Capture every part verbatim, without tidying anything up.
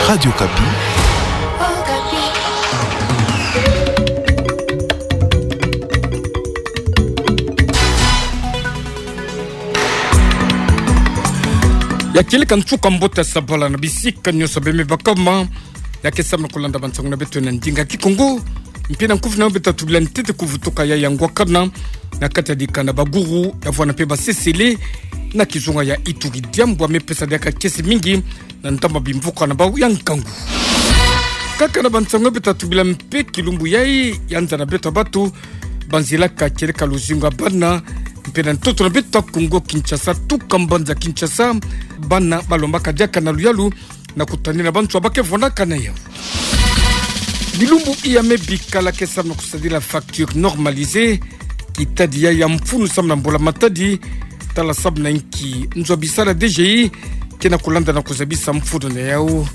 Radio Okapi. Ya kieleka nsuka mbote ya sabala na bisika nyonso bê me bakama. Ya ke samna kulanda bansangu na beto na ndinga Kikongo. Mpe na nkufi na beto tubila ntete kuvutuka ya ngwakana na kati ya dikana Baguru, ya vwanda mpe Basesele, na kizunga ya Ituri, diambu ya me pesa diaka kiese mingi na ntama bimvuka na bau ya nkangu. Kaka na bansangu beto tubila mpe kilumbu yayi, ya nza na beto ya bato banzilaka kieleka luzingu ya bana, mpe na ntoto na beto ya Kongo Kinshasa, tuka mbanza Kinshasa, bana balombaka diaka na luyalu na kutanina bantu ya ba ke vwandaka na yau. Bilumbu iya me bikala ke samna kusadila facture normalisée, kitadi ya ya mfunu samna mbula matadi, tala samna nki nzo ya bisala D G I ke na kulanda na kuzabisa mfunu na yau.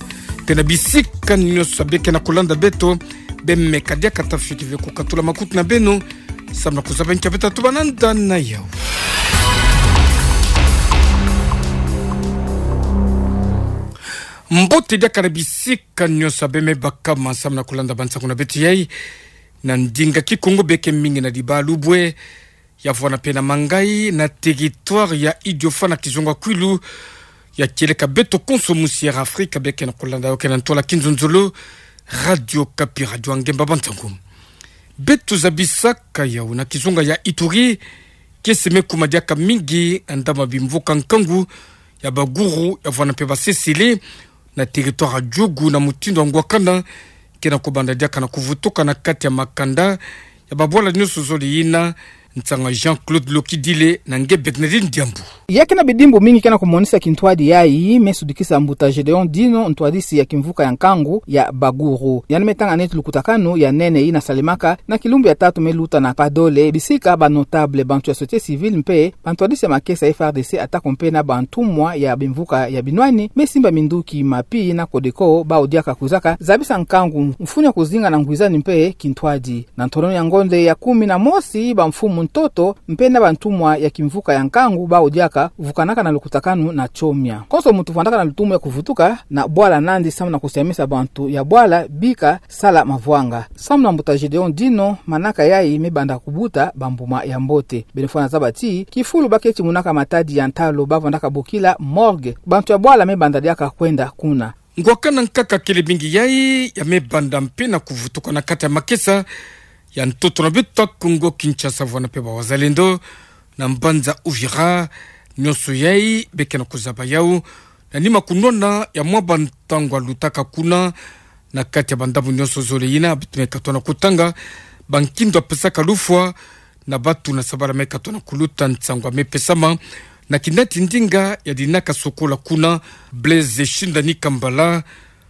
Mpe na bisika nyonso bê ke na kulanda beto, bê meka diaka tafioti ve kukatula makutu na beno, samna kuzaba nki ya beto tubana nda na yau. Mbote diaka na bisika nyonso bê me bakama, samna kulanda bansangu na beto yayi na ndinga Kikongo, bê ke mingi na Dibalu-Bwe, ya vwanda mpe na Mangayi, na territoire ya Idiofa na kizunga Kwilu, ya kieleka beto konso musi Air Afrique bê ke na kulanda yau ke na ntwala kinzonzolo, Radio Okapi, radio ya ngemba bansangu. Beto zabisaka yau na kizunga ya Ituri, kiese me kuma diaka mingi na ntama bimvuka nkangu ya Baguru, ya vwanda mpe Basesele, na territoire ya Djugu, na mutindu ya ngwakana ke na kubanda diaka na kuvutuka na kati ya makanda ya babwala nyonso zole yina. Nsangu ya Jean-Claude Lokidile na nge Bernardine Diambu. Ya ke na bidimbu mingi ke na kumonisa kintwadi yayi, me sudikisa mbuta Gédéon Dino, ntwadisi ya kimvuka ya nkangu ya Baguru. Yandi me tanga neti lukutakanu ya nene yina salemaka na kilumbu ya tatu me luta na Padole, bisika ba notable, bantu ya société civile mpe bantwadisi ya makesa ya F R D C, atako mpe na bantumwa ya bimvuka ya binwani me simba minduki, MAPI na CODECO, bau diaka kwizaka zabisa nkangu, mfunu ya kuzinga na ngwizani mpe kintwadi. Na ntolon ya ngonde ya kumi na mosi, bamfumu ntoto mpe na bantumwa ya kimvuka ya nkangu bau diaka vukanaka na lukutakanu na Tchomia. Konso muntu vwandaka na lutumu ya kuvutuka na bwala Nandi, samna kusiamisa bantu ya bwala bika sala mavwanga. Samna mbuta Gédéon Dino, manaka yayi me banda kubuta bambuma ya mbote. Beno fwana zaba ti kifulu ba ke timunaka matadi ya ntalu, ba vwandaka bokila morgue, bantu ya bwala me banda diaka kwenda kuna. Ngwakana nkaka kele mingi yayi ya me banda mpe na kuvutuka na kati ya makesa ya ntoto na beto ya Kongo Kinshasa, vwanda mpe ba wazalendo na mbanza Uvira. Nyonso yayi bê ke na kuzaba yau na nima kunwana ya mwa bantangu ya lutaka kuna, na kati ya bandambu nyonso zole yina, beto me katuka na kutanga bankindu ya pesaka lufwa na bato na sabala me katuka na kuluta nsangu ya me pesama na kinati ndinga ya dinaka sokola kuna, Blaise Shindani Kambala.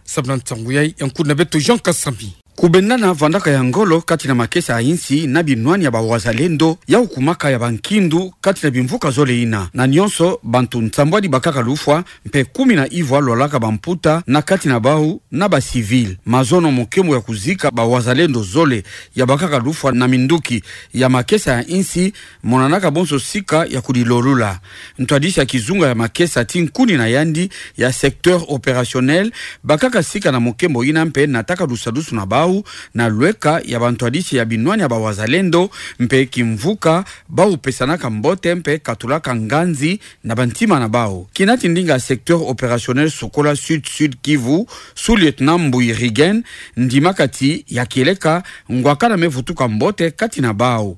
Samna nsangu yayi ya nkundi na beto Jean Kasami. Kubendana vwandaka ya ngolo kati na makesa ya insi na binwani ya ba wazalendo, yau kumaka ya bankindu kati na bimvuka zole yina. Na nyonso, bantu nsambwadi bakaka lufwa, mpe kumi na ivwa lwalaka bamputa na kati na bau na ba civil. Mazono mokembo ya kuzika ba wazalendo zole ya bakaka lufwa na minduki ya makesa ya insi, monanaka bonso sika ya kudilolula. Ntwadisi ya kizunga ya makesa ti nkundi na yandi ya secteur opérationnel bakaka sika na mokembo yina mpe nataka lusadusu na bau na lweka ya bantwadisi ya binwani ya ba wazalendo mpe kimvuka, bau pesanaka mbote mpe katulaka nganzi na bantima na bau. Kinati ndinga secteur opérationnel sokola Sud, Sud Kivu, sous-lieutenant Mbuyi Rigen, ndimaka ti ya kieleka ngwakana me vutuka mbote kati na bau.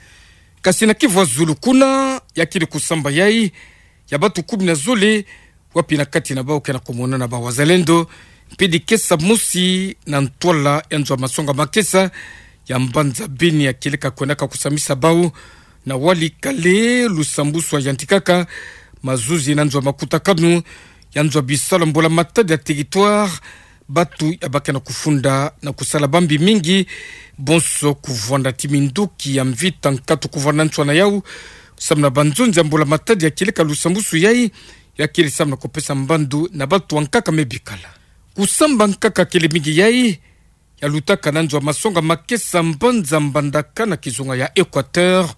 Kasi na kivu ya zulu kuna, ya kele kusamba yayi ya bato kumi na zole, wapi na kati na bau ke na kumonana ba wazalendo, mpe dikesa mosi na ntwala ya nzo ya masonga makesa ya mbanza Beni ya kieleka kwendaka kusamisa bau na Walikale, lusambusu ya yantikaka mazuzi na nzo ya makutakanu ya nzo ya bisalu ya mbula matadi ya territoire. Bato ya ba ke na kufunda na kusala bambi mingi, bonso kuvwanda ti minduki ya mvita nkatu kuvwanda nswa na yau, samna banzonzi ya mbula matadi ya kieleka lusambusu yayi, ya kele samna kupesa mbandu na bato ya nkaka me bikala. Kusamba nkaka kele mingi yayi ya lutaka na nzo ya masonga makesa mbanza Mbandaka na kizunga ya Équateur,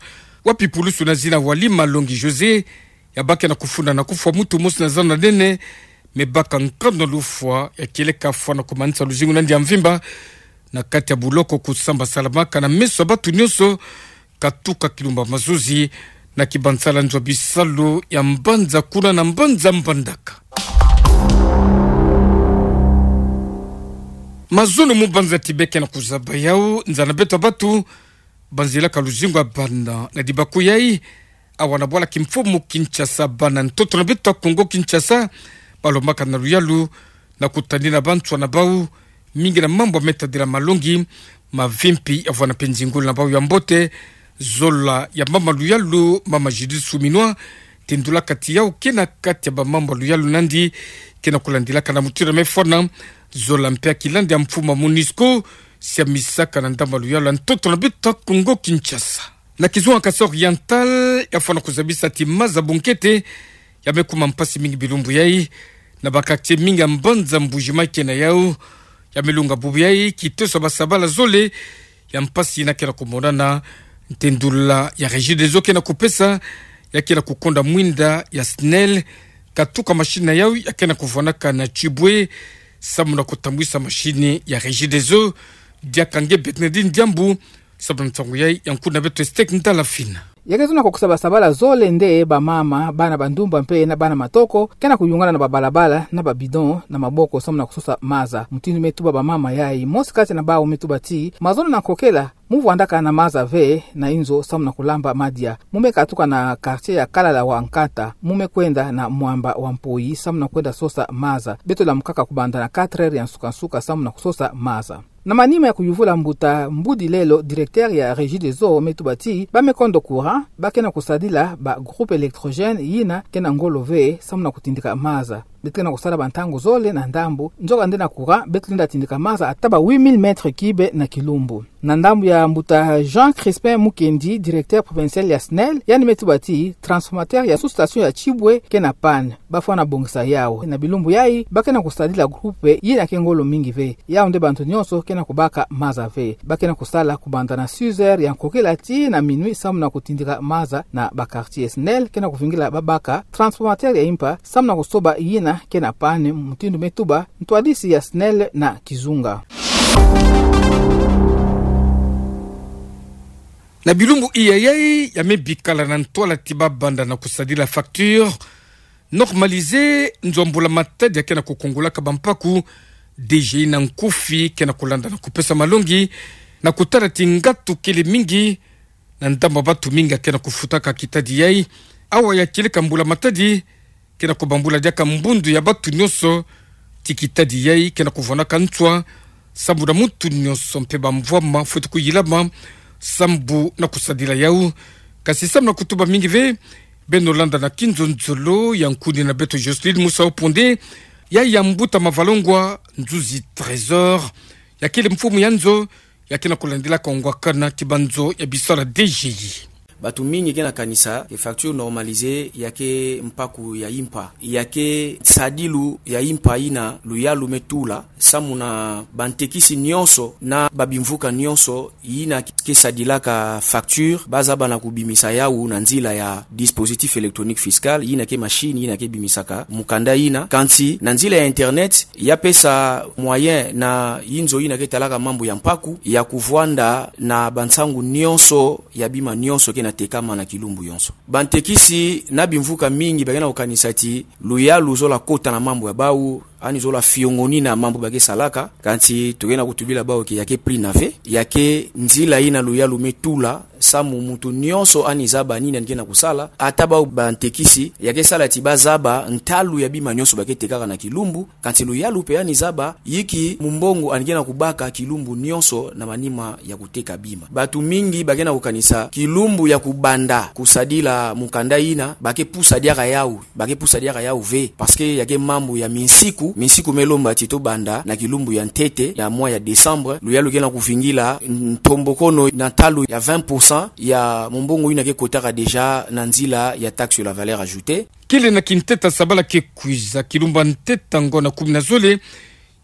wapi pulusu na zina Wali Malongi José ya ba ke na kufunda na kufwa muntu mosi na zana nene, me baka nkanu ya lufwa ya kieleka fwana kumanisa luzingu nandi ya mvimba na kati ya buloko kusamba salamaka na meso ya batu nyonso, katuka kilumbu ya mazozi, na kibansala nzo ya bisalu ya mbanza kuna na mbanza Mbandaka. Mazono mu banza ti beke na kuzaba yau, nza na beto batu, banzilaka luzingu ya bana na dibaku yai, awa na bwala kimfumu Kinshasa, bana ntoto na beto Kongo Kinshasa, balombaka na luyalu, na kutanina banswa na bau, mingi na mambu me tadila malongi, mavimpi ya vwanda mpe nzingulu na bau ya mbote, zola ya mama luyalu, mama Judith Suminwa, tindulaka ti yau ke na kati ya bamambu ya luyalu nandi, ke na kulandilaka na mutindu me fwana, zola mpe ya kilandi ya mfumu ya MONUSCO, siamisaka na ndambu ya luyalu ya ntoto na beto Kongo Kinshasa. Na kizunga Kasaï Oriental, ya fwana kuzabisa ti maza bunkete, ya me kuma mpasi mingi bilumbu yai, na ba quartier mingi ya mbanza Mbuji-Mayi ke na yau, ya me lunga bubu yai, kitoso basabala zole, ya mpasi yina ke na kumonana, ntendula ya Regideso ke na kupesa, ya ke na kukonda mwinda ya SNEL, katuka machine na yau, ya ke na kuvwanaka na Tchiboué, samu na kutambwisa machine ya Regideso, diaka nge Bernardine Diambu, samu na nsangu yai ya nkundi na beto Estec Ndala Fina. Ya ke zona kukusa basabala zole nde bamama, bana bandumba mpe na bana matoko, ke na kuyungana na babalabala, na babidon, na maboko, samu na kusosa maza. Mutindu me tuba bamama yai, mosi kati na bau me tuba ti, mazono na nkokela, mu vwandaka na maza ve, na inzo samu na kulamba madia. Mu me katuka na quartier ya Kalala wa Nkata, mu me kwenda na Mwamba wa Mpoyi, samu na kwenda sosa maza. Beto lamukaka kubanda na quatre heures ya nsuka-nsuka, samu na kusosa maza. Na manima ya kuyuvula mbuta Mbudi Lelo, directeur ya Regideso, me tuba ti, ba me kondo courant, ba ke na kusadila ba groupe électrogène yina ke na ngolo ve, samu na kutindika maza. Beto ke na kusala bantangu zole na ndambu, nzoka nde na courant, beto lenda tindika maza ata ba huit mille mètres cubes na kilumbu. Na ndambu ya mbuta Jean Crispin Mukendi, directeur provincial ya SNEL, yandi me tuba ti, transformateur ya sous-station ya Tchiboué ke na panne. Ba fwana bongisa yau. Na bilumbu yai, ba ke na kusadila groupe yina ke ngolo mingi ve. Yau nde bantu nyonso ke na kubaka maza ve. Ba ke na kusala kubanda na six heures ya nkokela tii na minuit samu na kutindika maza na ba quartier. SNEL ke na kuvingila babaka transformateur ya impa samu na kusoba yina ke na panne, mutindu me tuba ntwadisi ya SNEL na kizunga. Na bilumbu iya yai, ya me bikala na ntwala ti babanda na kusadila facture normalisée, nzo ya mbula matadi ya ke na kukungulaka bampaku, DGI na nkufi ke na kulanda na kupesa malongi, na kutala ti ngatu kele mingi, na ndambu ya batu mingi ya ke na kufutaka kitadi yai. Awa ya kieleka mbula matadi, ke na kubambula diaka mbundu ya batu nyonso, ti kitadi yai ke na kuvwanaka nswa, sambu na muntu nyonso mpe bamvwama fweti kuyilama, sambu na kusadila yau. Kasi samu na kutuba mingi ve, beno landa na kinzonzolo ya nkundi na beto Jocelyne Musa Oponde, ya ya mbuta Mavalongwa Nzuzi Trésor, ya kele mfumu ya nzo, ya ke na kulandilaka ngwakana ti banzo ya bisalu ya DGI. Batu mingi ke na kanisa ke facture normalisée ya ke mpaku ya impa, ya ke sadilu ya impa yina luyalu me tula, samu na bantekisi nyonso na babimvuka nyonso yina ke sadilaka facture, ba zaba na kubimisa yau na nzila ya dispositif électronique fiscal, yina ke machine yina ke bimisaka mukanda yina, kansi na nzila ya internet, ya pesa moyen na yinzo yina ke talaka mambu ya mpaku, ya kuvwanda na bansangu nyonso ya bima nyonso ke na tekama na kilumbu yonso. Bantekisi na bimvuka mingi ba ke na kukanisa ti luyalu zola kota na mambu ya bau, ani zola fiongonina mambu ba ke salaka, kansi toke na kutubila bau ke ya ke prix na ve, ya ke nzila yina luyalu me tula, samu muntu nyonso ani zaba nini ani ke na kusala, ata bau bantekisi, ya ke sala ti ba zaba ntalu ya bima nyonso ba ke tekaka na kilumbu, kansi luyalu mpe ani zaba yinki mumbongo ani ke na kubaka kilumbu nyonso na manima ya kuteka bima. Batu mingi ba ke na kukanisa kilumbu ya kubanda kusadila mukanda yina, ba ke pusa diaka yau, ba ke pusa diaka yau ve, parce que ya ke mambu ya minsiku, minsiku me lomba ti tobanda na kilumbu ya ntete ya mois ya décembre, luyalu ke na kuvingila ntombokono na ntalu ya vingt pour cent ya mumbongo yina ke kotaka déjà na nzila ya taxe sur la valeur ajoutée. Kele na kinteta sabala ke kwiza, kilumbu ya nteta ngonda kumi na zole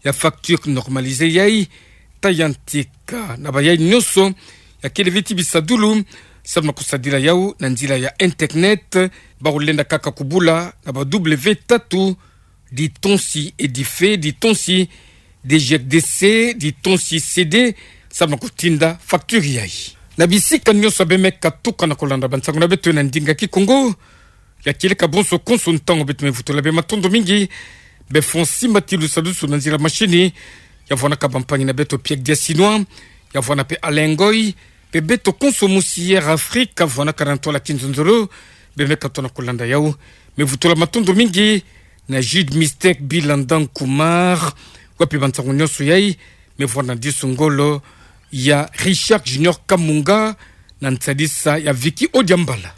ya facture normalisée yai, ta ya ntika na bayai nyonso ya kele ve ti bisadulu, samu na kusadila yau na nzila ya internet, bau lenda kaka kubula na ba W tatu Ditonsi Edife, ditonsi D G D C, ditonsi C D, samu na kotinda facture yayi. Na bisika nyonso bemeka tuka na kolanda bansango na beto na ndinga Kikongo, ya kieleka bonso konso ntango beto mevutula be matondo mingi, be Fonsi Matilu Salusu na nzila mashini, ya vwanaka bampangi na beto Pierre Diasinois, ya vwana pe Alengoi, be beto konso mosi Air Afrique, vwanaka na ntwala kinzonzolo, bemeka tona kolanda yau, mevutula matondo mingi, na Jude Mistake Bilandan Kumar, wapi bansango nyonso yayi, mevwana disu ngolo, ya Richard Junior Kamunga, na nsadisa ya Vicky Odiambala.